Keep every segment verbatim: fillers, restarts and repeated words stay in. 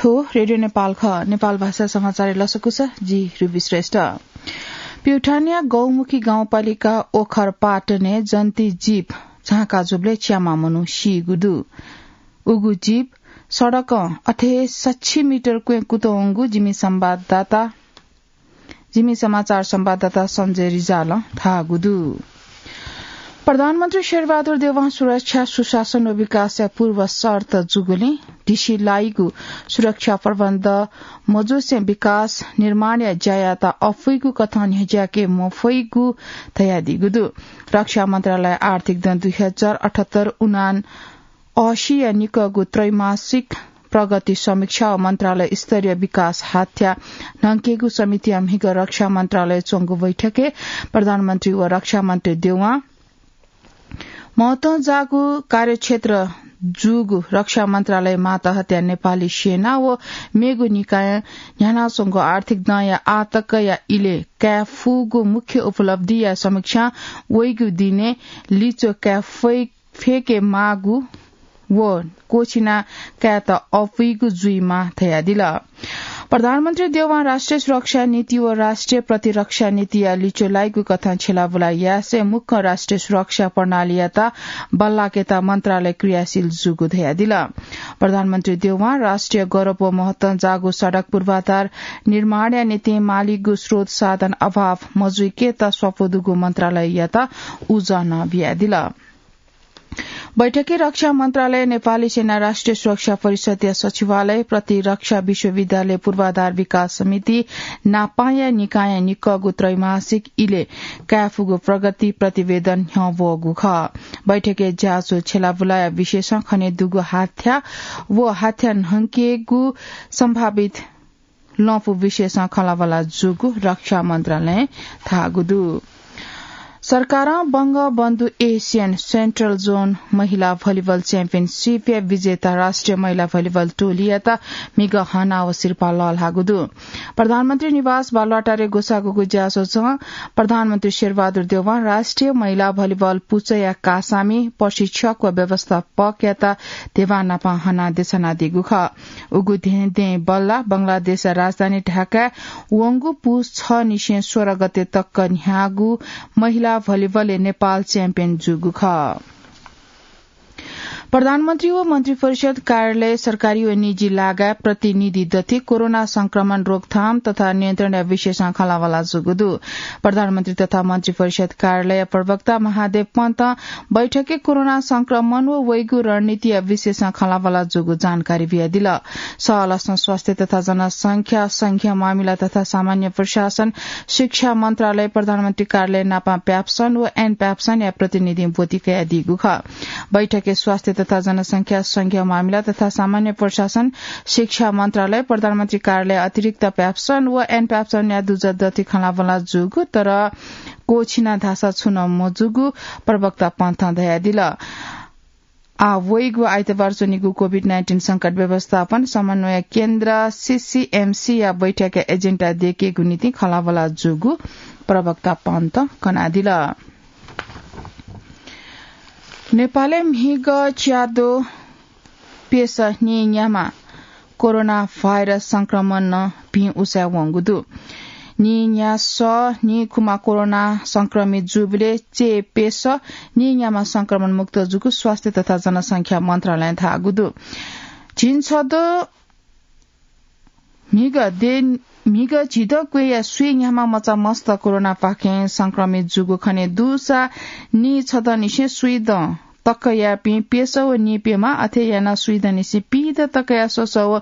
थ्व रेडियो नेपाल खः। नेपाल भाषा समाचारय् लसकुस, जि रुबी श्रेष्ठ। प्युठानया गौमुखी गाउँपालिका ओखर पाटनय् जन्ती जीप झांका जूबलय् च्याम्ह मनू सीगु दु। उगु जीप सडकं अथे सच्छि मिटर क्वँय् कुतुं वंगु जिमि संवाददाता, जिमि समाचार संवाददाता सञ्जय रिजालं धाःगु दु। प्रधानमन्त्री शेरबहादुर देउवां सुरक्षा, सुशासन व विकासया पूर्व शर्त जूगुलिं ढिसि लाइगु सुरक्षा प्रबन्ध मजूसें विकास निर्माणया ज्यायात अफुइगु कथं न्ह्यज्याके मफइगु धयादीगु दु। रक्षा मन्त्रालय आर्थिक दँ दुई हजार अठहत्तर उनान अशीया निकःगु त्रैमासिक प्रगति समीक्षा व मन्त्रालय स्तरीय विकास हाथ्या न्हंकेगु समितिया म्हिगः रक्षा मन्त्रालय च्वंगु बैठकय् प्रधानमन्त्री व रक्षा मन्त्री देउवां महत्वं जाःगु कार्यक्षेत्र जूगु रक्षा मन्त्रालय मातहतया नेपाली सेना व मेगु निकायं न्ह्यानाच्वंगु आर्थिक दँया आःतकया इलय् काये फुगु मुख्य उपलब्धिया समीक्षा वइगु दिनय् लिच्वः काये फइ फय्के माःगु व क्वःछिना कायेत अपुइगु जुइमाः धयादिल। प्रधानमन्त्री देउवां राष्ट्रिय सुरक्षा नीति व राष्ट्रिय प्रतिरक्षा नीतिया लिच्वः लाइगु कथं छ्यलाबुला यासें मुक्कं राष्ट्रिय सुरक्षा प्रणालीयात बल्लाकेत मन्त्रालय क्रियाशील जूगु धयादिल। प्रधानमन्त्री देउवां राष्ट्रिय गौरव व महत्वं जाःगु सडक पूर्वाधार निर्माणया निंतिं मालीगु स्रोत साधन अभाव मजुइकेत स्वापू दुगु मन्त्रालययात उजं नं बियादिल। बैठकय् रक्षा मन्त्रालय, नेपाली सेना, राष्ट्रिय सुरक्षा परिषदया सचिवालय, प्रतिरक्षा विश्वविद्यालय, पूर्वाधार विकास समिति नापांया निकायं निकःगु त्रैमासिक इलय् कायेफुगु प्रगति प्रतिवेदन न्ह्यः वःगु खः। बैठकय् ज्याझ्वः छ्यलाबुलाया विषयसं खने दुगु हाथ्या व हाथ्या न्हंकेगु सम्भावित लँपु विषयसं खँल्हाबल्हा जूगु रक्षा मन्त्रालयं धाःगु दु। सरकारं बंगबन्धु एसियन सेन्ट्रल जोन महिला भलिबल च्याम्पियनसिपया विजेता राष्ट्रिय महिला भलिबल टोलीयात म्हिगः हना व सिरपाः लःल्हाःगु दु। प्रधानमन्त्री निवास बालुवाटारय् ग्वसाःगु ज्याझ्वलं प्रधानमन्त्री शेरबहादुर देउवां राष्ट्रिय महिला भलिबल पुचःया कासामि, प्रशिक्षक व व्यवस्थापकयात धिबा नापं हनाः देछानादीगु खः। उगु धें दें बल्लाः बंगलादेशया राजधानी ढाकाय् वंगु पुस छनिसें सोह्र गते तक न्ह्याःगु महिला भलिबलय् नेपाल च्याम्पियन जूगु खः। प्रधानमन्त्री व मन्त्रिपरिषद कार्यालय सरकारी व निजी लागाय् प्रतिनिधि दथि कोरोना संक्रमण रोकथाम तथा नियन्त्रणया विषयसं खँल्हाबल्हा जूगु दु। प्रधानमन्त्री तथा मन्त्रिपरिषद कार्यालय प्रवक्ता महादेव पन्तं बैठकय् कोरोना संक्रमण व वइगु रणनीतिया विषयसं खँल्हाबल्हा जूगु जानकारी बियादिल। सहलसं स्वास्थ्य तथा जनसंख्या, संघीय मामिला तथा सामान्य प्रशासन, शिक्षा मन्त्रालय, प्रधानमन्त्री कार्यालय नापं प्याब्सन व एन प्याब्सनया प्रतिनिधिं ब्वति कयादीगु खः। बैठकय् स्वास्थ्य तथा जनसंख्या, संघीय मामिला तथा सामान्य प्रशासन, शिक्षा मन्त्रालय, प्रधानमन्त्री कार्यालय अतिरिक्त प्याब्सन व एन प्याब्सनया दुजः दथि खँल्हाबल्हा जूगु, तर क्वःछिना धाःसा छुं नं मजूगु प्रवक्ता पन्थं धयादिल। आः वइगु आइतबार च्वनीगु कोभिड नाइन्टिन संकट व्यवस्थापन समन्वय केन्द्र, सीसीएमसीया बैठकया एजेन्डा दयेकेगु निंतिं खँल्हाबल्हा जूगु प्रवक्ता पन्थं कनादिल। नेपालय् म्हिगः च्याद्वः प्यसः नीन्याम्ह कोरोना भाइरस संक्रमणं भिं उसाँय् वंगु दु। नीन्यासः नीखुम्ह कोरोना संक्रमित जूबलय् चय् प्यसः नीन्याम्ह संक्रमण मुक्त जूगु स्वास्थ्य तथा जनसंख्या मन्त्रालयं धाःगु दु। झिंछदँ म्हिगः दे, म्हिगः झिदँ क्वय्‌या स्वीन्याम्ह मचा मस्त कोरोनापाखें संक्रमित जूगु खने दुसा नीछदँनिसें स्वीदँ तकयापिं प्यसः व नीप्यम्ह, अथे यानाः स्वीदँनिसें पीदँ तकया स्वसः व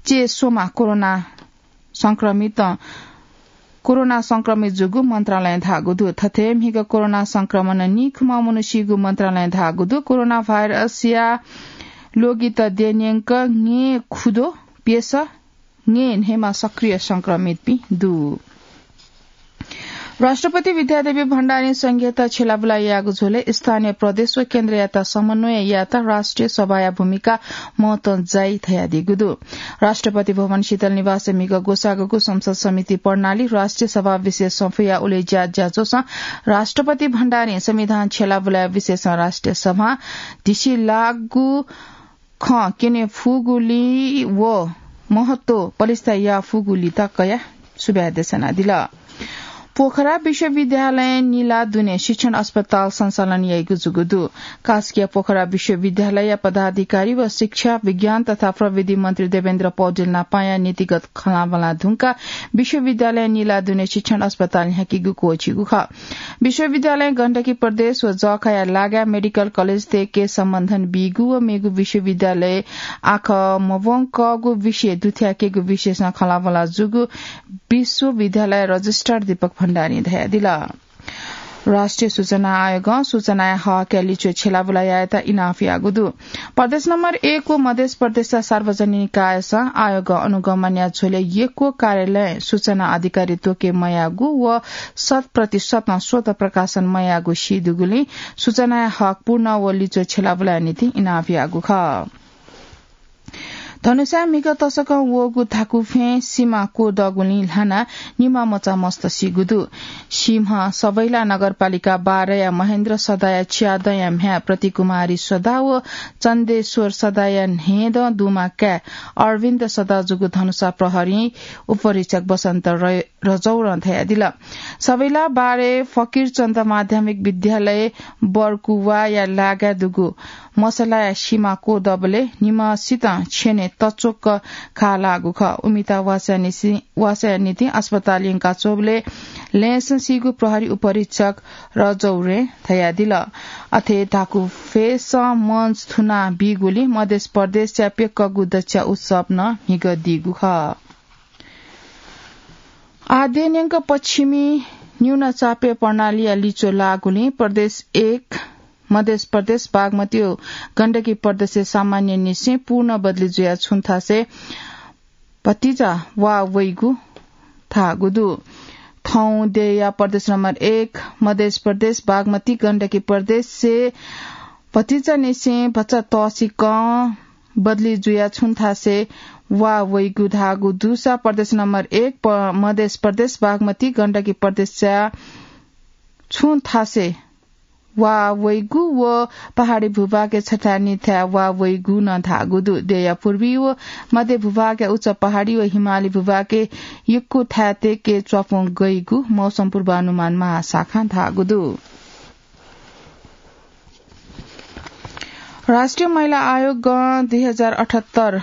चय् स्वम्ह कोरोना संक्रमित, कोरोना संक्रमित जूगु मन्त्रालयं धाःगु दु। थथे म्हिगः कोरोना संक्रमणं नीखुम्ह मनू सीगु मन्त्रालयं धाःगु दु। कोरोना भाइरसया ल्वगित द्यनेंक ङ्येँ खुद्वः प्यसः ङ्येँ न्हय्‌म्ह सक्रिय संक्रमितपिं दु। राष्ट्रपति विद्यादेवी भण्डारीं संघीयता छ्यलाबुला याःगु झ्वलय् स्थानीय प्रदेश व केन्द्रयात समन्वय यायेत राष्ट्रिय सभाया भूमिका महत्वं जाइ धयादीगु दु। राष्ट्रपति भवन शीतल निवासय् म्हिगः ग्वसाःगु संसद समिति प्रणाली राष्ट्रिय सभा विशेष सफूया उलेज्या ज्याझ्वलय् राष्ट्रपति भण्डारीं संविधान छ्यलाबुलाया विषयसं राष्ट्रिय सभां धिसिलाःगु खँ क्यने फुगुलिं व महत्व पलिस्था याफुगुलित कयाः सुभाय् देछानादिल। पोखरा विश्वविद्यालयं निला दुने शिक्षण अस्पताल सञ्चालन याइगु जूगु दु। कास्कीया पोखरा विश्वविद्यालयया पदाधिकारी व शिक्षा, विज्ञान तथा प्रविधि मन्त्री देवेन्द्र पौडेल नापाया नीतिगत खँल्हाबल्हा धुंकाः विश्वविद्यालयं निला दुने शिक्षण अस्पताल न्ह्याकीगु क्वःछिगु खः। विश्वविद्यालयं गण्डकी प्रदेश व जःखाया लागाय् मेडिकल कलेज तयेके सम्बन्धन बीगु व मेगु विश्वविद्यालय आखः मवंकःगु विषय दुथ्याकेगु विषयसं खँल्हाबल्हा जूगु विश्वविद्यालय रजिस्ट्रार दीपक भण्डारीं धयादिल। राष्ट्रिय सूचना आयोगं सूचनाया हकया लिच्वय् छ्यलाबुला यायेत इनाप याःगु दु। प्रदेश नम्बर एक व मधेस प्रदेशया सार्वजनिक निकायसं आयोगं अनुगमनया झ्वलय् यक्व कार्यालयं सूचना अधिकारी त्वके मयाःगु व शत प्रतिशतं स्वतः प्रकाशन मयाःगु सीदुगुलिं सूचनाया हक पूर्ण व लिच्वय् छ्यलाबुलाया निंतिं इनाप याःगु खः। धनुषाय् म्हिगः तसकं वःगु धाकुफें सिमा क्वदःगुलिं ल्हानाः निम्ह मचा मस्त सीगु दु। सिम्ह सवैला नगरपालिका बाह्रया महेन्द्र सदाया च्यादँया म्ह्याय् प्रतिकुमारी सदा व चन्देश्वर सदाया न्हय्दँ दुमा काय् अरविन्द सदा जूगु धनुषा प्रहरीं उपरीक्षक बसन्त र-, रजौरं धयादिल। सवैला बाह्रय् फकिरचन्द माध्यमिक विद्यालय बरकुवाया लागाय् दुगु मसलाया सिमा क्वदबलय् निम्हसितं छ्यनय् तच्वक्क घाः लाःगु खः। उमित वासया निसि-, वासया निंतिं अस्पताल यंकाच्वंबलय् लँय्सं सीगु प्रहरी उपरीक्षक रजौरें धयादिल। अथे धाकुफेसं मञ्च थुना बीगुलिं मधेस प्रदेशया प्यक्कगु दच्छा उत्सव नं म्हिगः दीगु खः। आः देय् न्यंक पश्चिमी न्यूनचापय् प्रणालीया लिच्वः लाःगुलिं प्रदेश एक, मधेस प्रदेश, बागमती व गण्डकी प्रदेशय् सामान्य निसें पूर्ण बदली जुयाः छुं थासय् भतिचा वा वइगु धाःगु दु। थौं देय्‌या प्रदेश नम्बर एक, मधेस प्रदेश, बागमती, गण्डकी प्रदेशय् भतिचा निसें भचा तःसिकं बदली जुयाः छुं थासय् वा वइगु धाःगु दुसा प्रदेश नम्बर एक प-, मधेस प्रदेश, बागमती, गण्डकी प्रदेशया छुं थासय् वा वइगु व पहाडी भूभागय् छथाय् निथाय् वा वइगु नं धाःगु दु। देय्‌या पूर्वी व मध्य भूभागया उच्च पहाडी व हिमाली भूभागय् यक्व थाय् तय्‌के च्वापुं गइगु मौसम पूर्वानुमान महाशाखां धाःगु दु। राष्ट्रिय महिला आयोगं दुई हजार अठहत्तर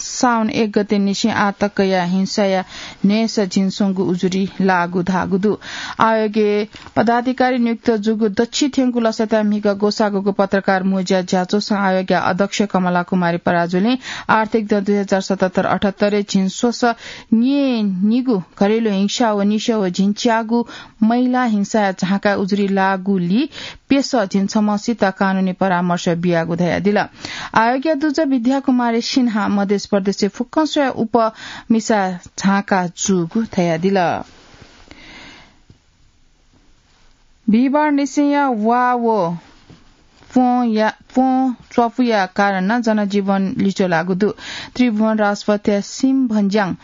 साउन एक गते निसें आः तकया हिंसाया न्हय्‌सः झिंस्वंगू उजुरी लाःगु धाःगु दु। आयोगय् पदाधिकारी नियुक्त जूगु दच्छि थ्यंगु लसताय् म्हिगः ग्वसाःगूगु पत्रकार मोज्या ज्याझ्वलय् आयोगया अध्यक्ष कमला कुमारी पराजुलीं आर्थिक दँ दुई हजार सतहत्तर अठहत्तरय् झिंस्वसः न्यय्‌निगू घरेलु हिंसा व निसः व झिंच्यागू महिला हिंसाया झांकाय् उजुरी लाःगुलिं प्यसः झिंछम्हसित कानूनी परामर्श बियागु धयादिल। आयोगया दुजः विद्या कुमारी सिन्हां मधेस प्रदेशय् फुक्कं स्वयाः उपमिसा झांका जूगु धयादिल। बिहिबार निसेंया वा व प्वँया, प्वँ च्वापुया कारणं जनजीवन लिच्वः लाःगु दु। त्रिभुवन राजपथया सिम्भन्ज्याङ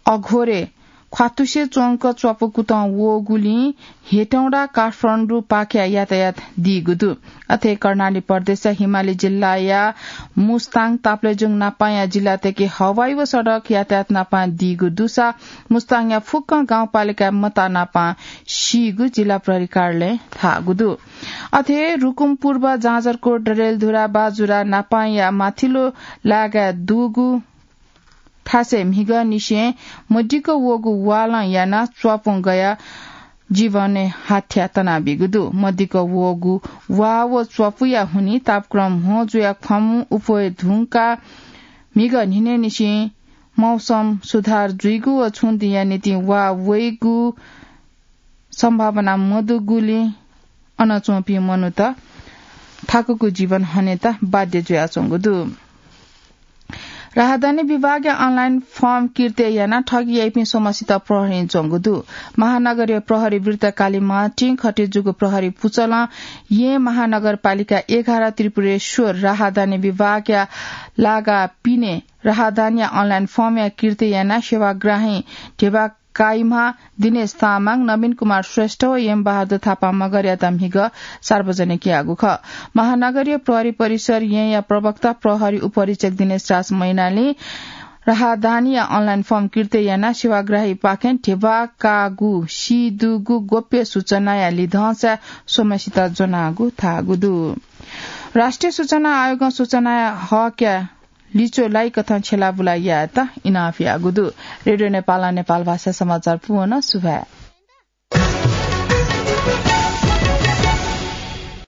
अघोरे ख्वातुसे च्वंक च्वापु कुतं वःगुलिं हेटौँडा काठमाडौं पाखेया यातायात दीगु दु। अथे कर्णाली प्रदेशया हिमाली जिल्लाया मुस्ताङ ताप्लेजुङ नापांया जिल्लातय्‌के हवाई व सडक यातायात नापां दीगु दुसा मुस्ताङया फुक्कं गाउँपालिकाय् मता नापां सीगु जिल्ला प्रहरी कार्यालयं धाःगु दु। अथे रुकुम पूर्व, जाजरकोट, डडेलधुरा, बाजुरा नापांया माथिल्लो लागाय् दुगु थासय् म्हिगः निसें मदिक्क वःगु वालं यानाः च्वापुं गयाः जीवनय् हाथ्या तनाबीगु दु। मदिक्क वःगु वा व च्वापुया हुनिं तापक्रम म्हो जुयाः ख्वामु उप्वये धुंकाः म्हिगः न्हिनय्‌निसें मौसम सुधार जुइगु व छुं दिंया निंतिं वा वइगु सम्भावना मदुगुलिं अन च्वंपिं मनूत थाकुगु जीवन हनेत बाध्य जुयाच्वंगु दु। राहदानी विभागया अनलाइन फर्म किर्ते यानाः ठगी याइपिं स्वम्हसित प्रहरीं ज्वंगु दु। महानगरीय प्रहरी वृत्त कालीमाटीं खटे जूगु प्रहरी पुचलं येँ महानगरपालिका एघार त्रिपुरेश्वर राहदानी विभागया लागा पिने राहदानीया अनलाइन फर्मया किर्ते यानाः सेवाग्राही ढेबा काइम्हा दिनेश तामाङ, नवीन कुमार श्रेष्ठ व यमबहादुर थापा मगरयात म्हिगः सार्वजनिक याःगु खः। महानगरीय प्रहरी परिसर येँया प्रवक्ता प्रहरी उपरीक्षक दिनेश राज मैनालीं राहदानीया अनलाइन फर्म किर्तय् यानाः सेवाग्राहीपाखें ध्यबा काःगु सीदुगु गोप्य सूचनाया लिधंसा स्वम्हसित ज्वनागु धाःगु दु। राष्ट्रिय सूचना आयोगं सूचनाया हकया लिच्वः लाइकथं छ्यलाबुला यायेत इनाप याःगु दु। रेडियो नेपालं नेपाल भाषा समाचार पूवन। सुभाय्।